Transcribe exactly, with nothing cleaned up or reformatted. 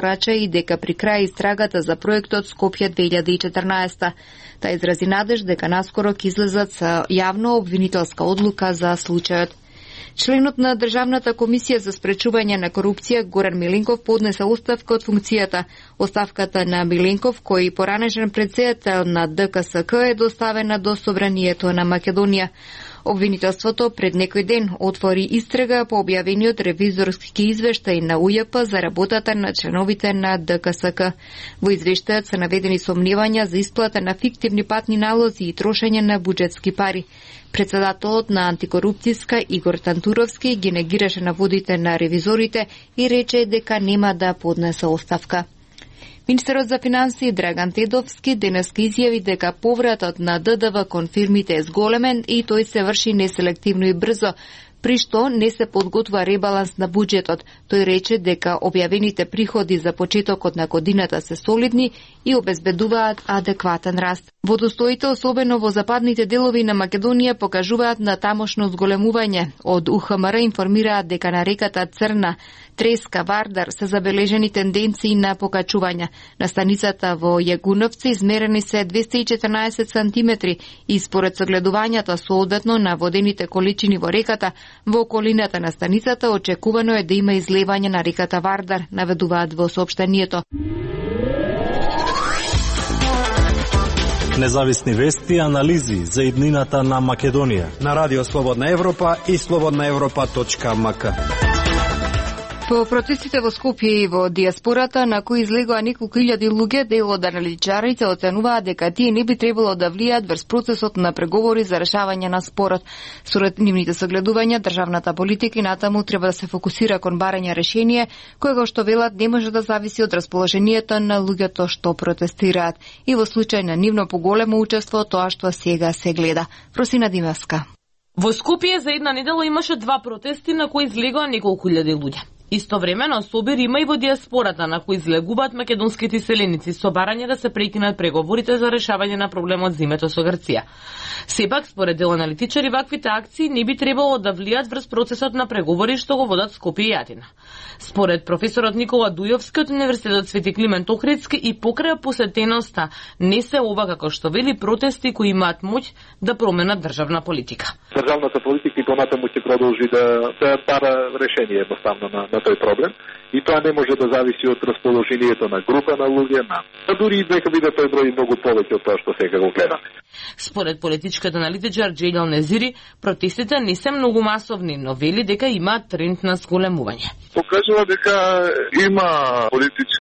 Рача и дека при крај истрагата за проектот Скопје две илјади и четрнаесета. Та изрази надеж дека наскоро ќе излезат со јавно обвинителска одлука за случајот. Членот на Државната комисија за спречување на корупција Горан Миленков поднесе оставка од функцијата. Оставката на Миленков, кој поранешен претседател на Д К С К, е доставена до Собранието на Македонија. Обвинителството пред некој ден отвори истрага по објавениот ревизорски извештај на У Ј П за работата на членовите на Д К С К. Во извештајот се наведени сомневања за исплата на фиктивни патни налози и трошење на буџетски пари. Председателот на антикорупцијска Игор Тантуровски ги негираше наводите на ревизорите и рече дека нема да поднесе оставка. Министерот за финансии Драган Тедовски денеска изјави дека повратот на Д Д В кон фирмите е зголемен и тој се врши неселективно и брзо, при што не се подготвува ребаланс на буџетот. Тој рече дека објавените приходи за почетокот на годината се солидни и обезбедуваат адекватен раст. Водостоите, особено во западните делови на Македонија, покажуваат на тамошно зголемување. Од У Х М Р информираат дека на реката Црна, Треска, Вардар се забележени тенденции на покачување. На станицата во Јагуновци измерени се двесте и четрнаесет сантиметри и според согледувањата соодветно на водените количини во реката, во околината на станицата очекувано е да има излевање на реката Вардар, наведуваат во соопштението. Независни вести и анализи за иднината на Македонија на Радио Слободна Европа и слободна европа точка м к. По протестите во Скопје и во диаспората, на кои излегоа неколку илјади луѓе, дел од аналитичарите оценуваат дека тие не би требало да влијат врз процесот на преговори за решавање на спорот. Според нивните согледувања, државната политика и натаму треба да се фокусира кон барање решение, кое што велат не може да зависи од расположението на луѓето што протестираат. И во случај на нивно поголемо учество, тоа што сега се гледа. Просина Димевска. Во Скопје за една недела имаше два протести на кои излегоа неколку илјади луѓе. Истовремено собир има и во диаспората на кои излегуваат македонските селеници со барање да се прекинат преговорите за решавање на проблемот за името со Грција. Сепак, според дел аналитичари, ваквите акции не би требало да влијат врз процесот на преговори што го водат Скопје и Атина. Според професорот Никола Дујовски од Универзитетот Свети Климент Охридски и покрај посетеноста не се ова како што вели протести кои имаат моќ да променат државна политика. Државната политика и понатаму ќе продолжи да да бара решение едноставно на, на тој проблем и тоа не може да зависи од расположението на група на луѓе, на а дури и нека биде тој број многу повеќе од тоа што сега го гледаме. Според политичкиот аналитичар Джејдал Незири, протестите не се многу масовни, но вели дека има тренд на зголемување. Покажува дека има политички